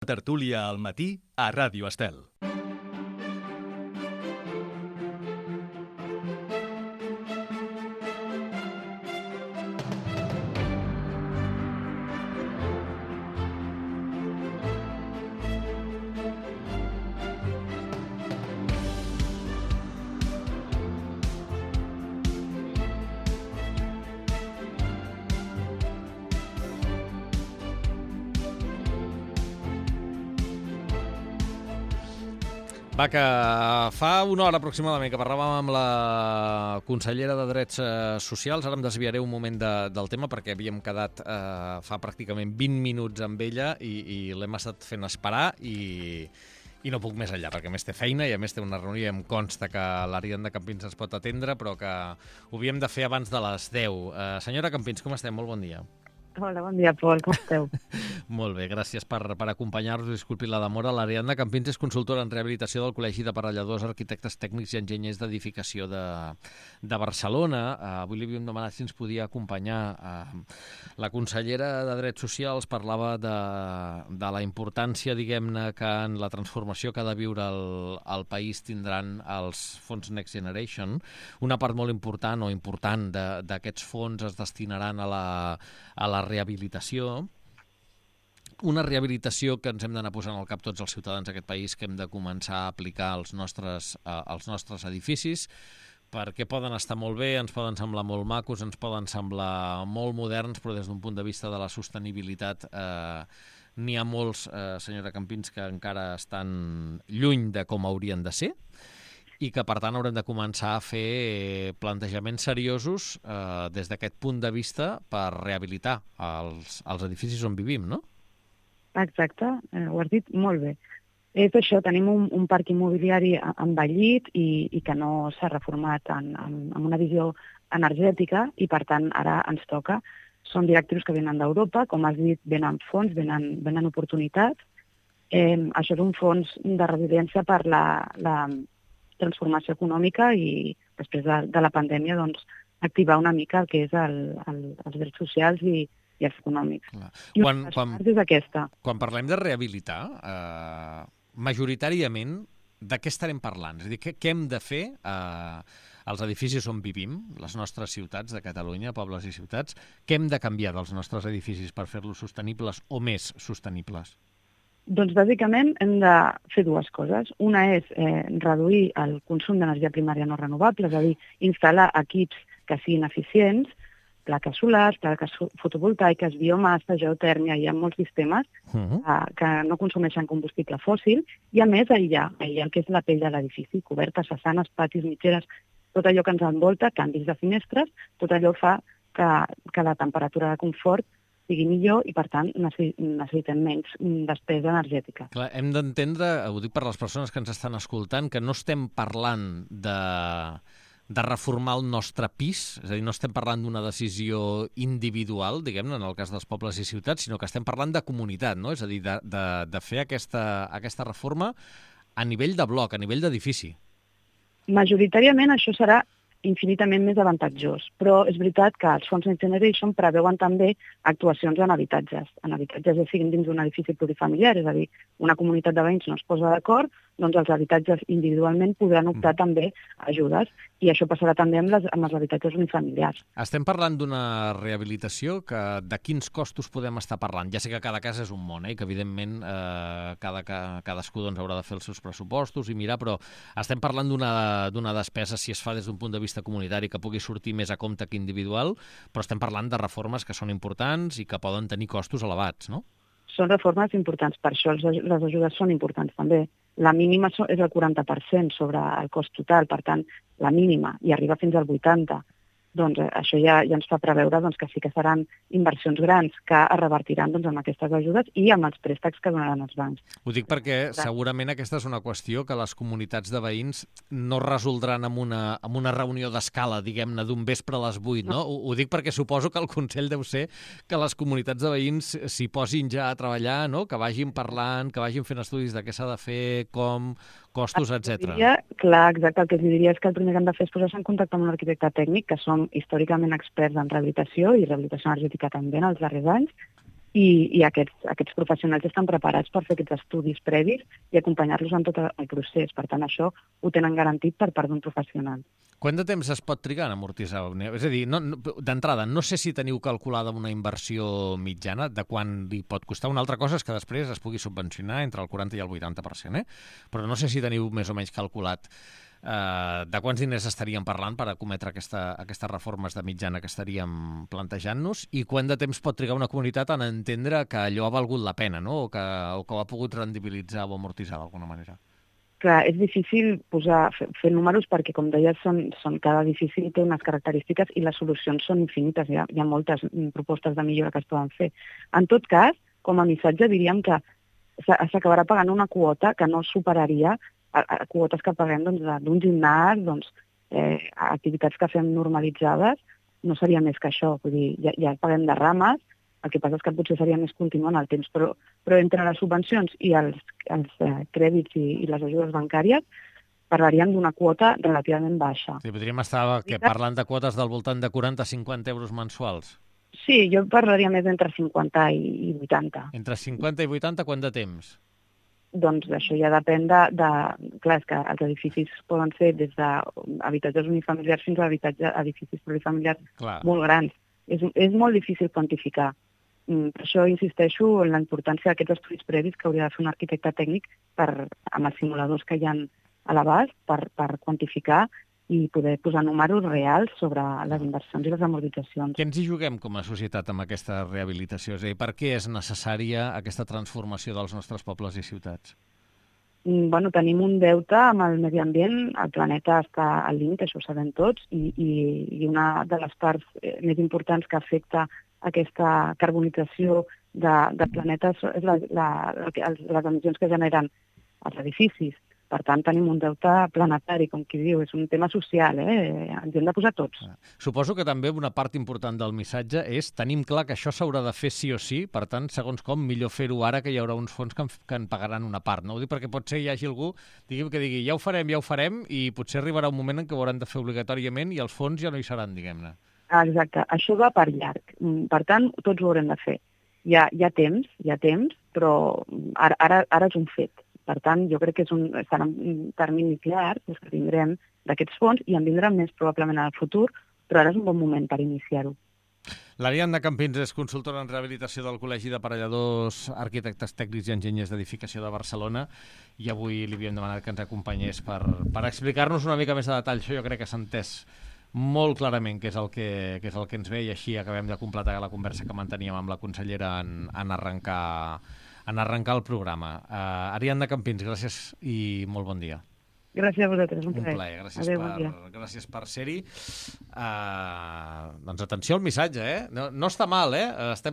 Tertúlia al matí a Ràdio Estel. Va, que fa una hora aproximadament que parlàvem amb la consellera de Drets Socials. Ara em desviaré un moment del tema perquè havíem quedat fa pràcticament 20 minuts amb ella i l'hem estat fent esperar i no puc més enllà, perquè a més té feina i a més té una reunió i em consta que l'Ariadna Campins es pot atendre, però que ho havíem de fer abans de les 10. Senyora Campins, com estem? Molt bon dia. Hola, bon dia, Pol. Com esteu? Molt bé, gràcies per acompanyar-nos. Disculpi la demora. L'Ariadna Campins és consultora en rehabilitació del Col·legi d'Aparelladors, Arquitectes Tècnics i Enginyers d'Edificació de Barcelona. Avui li havíem demanat si ens podia acompanyar. La consellera de Drets Socials parlava de la importància, diguem-ne, que en la transformació que ha de viure el país tindran els fons Next Generation. Una part molt important d'aquests fons es destinaran a la rehabilitació. Una rehabilitació que ens hem d'anar posant al cap tots els ciutadans d'aquest país, que hem de començar a aplicar als nostres edificis, perquè poden estar molt bé, ens poden semblar molt macos, ens poden semblar molt moderns, però des d'un punt de vista de la sostenibilitat n'hi ha molts, senyora Campins, que encara estan lluny de com haurien de ser, i que, per tant, haurem de començar a fer plantejaments seriosos des d'aquest punt de vista per rehabilitar els edificis on vivim, no? Exacte, ho has dit molt bé. És això, tenim un parc immobiliari envellit i que no s'ha reformat amb una visió energètica i, per tant, ara ens toca. Són directius que venen d'Europa, com has dit, venen fons, venen oportunitats. Això és un fons de resiliència per la transformació econòmica i després de la pandèmia doncs, activar una mica el que és els drets socials i els econòmics. I una de les parts és aquesta. Quan parlem de rehabilitar, majoritàriament, de què estarem parlant? És a dir, què hem de fer als edificis on vivim, les nostres ciutats de Catalunya, pobles i ciutats? Què hem de canviar dels nostres edificis per fer-los sostenibles o més sostenibles? Doncs, bàsicament, hem de fer dues coses. Una és reduir el consum d'energia primària no renovable, és a dir, instal·lar equips que siguin eficients, plaques solars, plaques fotovoltaiques, biomassa, geotèrmia, hi ha molts sistemes que no consumeixen combustible fòssil i, a més, aïllar el que és la pell de l'edifici, cobertes, façanes, patis, mitgeres, tot allò que ens envolta, canvis de finestres, tot allò fa que la temperatura de confort sigui millor i, per tant, necessitem menys despesa energètica. Clar, hem d'entendre, ho dic per les persones que ens estan escoltant, que no estem parlant de reformar el nostre pis, és a dir, no estem parlant d'una decisió individual, diguem-ne, en el cas dels pobles i ciutats, sinó que estem parlant de comunitat, no? És a dir, de fer aquesta reforma a nivell de bloc, a nivell d'edifici. Majoritàriament això serà infinitament més avantatjós, però és veritat que els fons Next Generation preveuen també actuacions en habitatges ja siguin dins d'un edifici plurifamiliar, és a dir, una comunitat de veïns no es posa d'acord, doncs els habitatges individualment podran optar també a ajudes, i això passarà també amb els habitatges unifamiliars. Estem parlant d'una rehabilitació que de quins costos podem estar parlant? Ja sé que cada cas és un món, i que evidentment cadascú doncs, haurà de fer els seus pressupostos i mirar, però estem parlant d'una despesa, si es fa des d'un punt de vista comunitari, que pugui sortir més a compte que individual, però estem parlant de reformes que són importants i que poden tenir costos elevats, no? Són reformes importants, per això les ajudes són importants també. La mínima és el 40% sobre el cost total, per tant, la mínima, i arriba fins al 80%. Doncs això ja ens fa preveure que sí que seran inversions grans que es revertiran amb aquestes ajudes i amb els préstecs que donaran els bancs. Ho dic perquè segurament aquesta és una qüestió que les comunitats de veïns no resoldran amb una reunió d'escala, diguem-ne, d'un vespre a les 8, no? Ho dic perquè suposo que el consell deu ser que les comunitats de veïns s'hi posin ja a treballar, no? Que vagin parlant, que vagin fent estudis de què s'ha de fer, com, costos, etc. Clar, exacte. El que els diria és que el primer que han de fer és posar-se en contacte amb un arquitecte tècnic, que som històricament experts en rehabilitació i rehabilitació energètica també en els darrers anys, i aquests professionals estan preparats per fer aquests estudis previs i acompanyar-los en tot el procés. Per tant, això ho tenen garantit per part d'un professional. Quant de temps es pot trigar en amortitzar? És a dir, d'entrada, no sé si teniu calculada una inversió mitjana de quan li pot costar. Una altra cosa és que després es pugui subvencionar entre el 40 i el 80%, però no sé si teniu més o menys calculat de quants diners estaríem parlant per acometre aquestes reformes de mitjana que estaríem plantejant-nos i quant de temps pot trigar una comunitat en entendre que allò ha valgut la pena, no? o que ho ha pogut rendibilitzar o amortitzar d'alguna manera. Clar, és difícil fer números perquè, com deies, cada edifici té unes característiques i les solucions són infinites. Hi ha moltes propostes de millora que es poden fer. En tot cas, com a missatge diríem que s'acabarà pagant una quota que no superaria a quotes que paguem d'un gimnàs, activitats que fem normalitzades, no seria més que això. Vull dir, ja paguem de rames, el que passa és que potser seria més continu en el temps, però entre les subvencions i els crèdits i les ajudes bancàries parlaríem d'una quota relativament baixa. Sí, podríem estar parlant de quotes del voltant de 40-50 euros mensuals. Sí, jo parlaria més d'entre 50 i 80. Entre 50 i 80, quant de temps? Doncs això ja depèn Clar, és que els edificis poden ser des d'habitatges unifamiliars fins a edificis plurifamiliars molt grans. És molt difícil quantificar. Per això insisteixo en la importància d'aquests estudis previs que hauria de fer un arquitecte tècnic amb els simuladors que hi ha a l'abast per quantificar i poder posar números reals sobre les inversions i les amortitzacions. Què ens hi juguem com a societat amb aquesta rehabilitació? És a dir, per què és necessària aquesta transformació dels nostres pobles i ciutats? Tenim un deute amb el medi ambient, el planeta està al límit, això ho sabem tots, i una de les parts més importants que afecta aquesta carbonització del planeta és les emissions que generen els edificis. Per tant, tenim un deute planetari, com qui diu, és un tema social, ens hem de posar tots. Suposo que també una part important del missatge és tenim clar que això s'haurà de fer sí o sí, per tant, segons com, millor fer-ho ara que hi haurà uns fons que en pagaran una part. No ho dic perquè potser hi hagi algú que digui ja ho farem, i potser arribarà un moment en què ho hauran de fer obligatòriament i els fons ja no hi seran, diguem-ne. Exacte, això va per llarg. Per tant, tots ho haurem de fer. Hi ha temps, però ara és un fet. Per tant, jo crec que serà un termini llarg que tindrem d'aquests fons i en vindran més probablement al futur, però ara és un bon moment per iniciar-ho. L'Ariadna Campins és consultora en rehabilitació del Col·legi d'Aparelladors, Arquitectes Tècnics i Enginyers d'Edificació de Barcelona, i avui li havíem demanat que ens acompanyés per explicar-nos una mica més de detall. Això jo crec que s'ha entès molt clarament què és el que ens ve, i així acabem de completar la conversa que manteníem amb la consellera en arrencar el programa. Ariadna Campins, gràcies i molt bon dia. Gràcies a vosaltres, un plaer. Gràcies per ser-hi. Doncs atenció al missatge, No està mal, Estem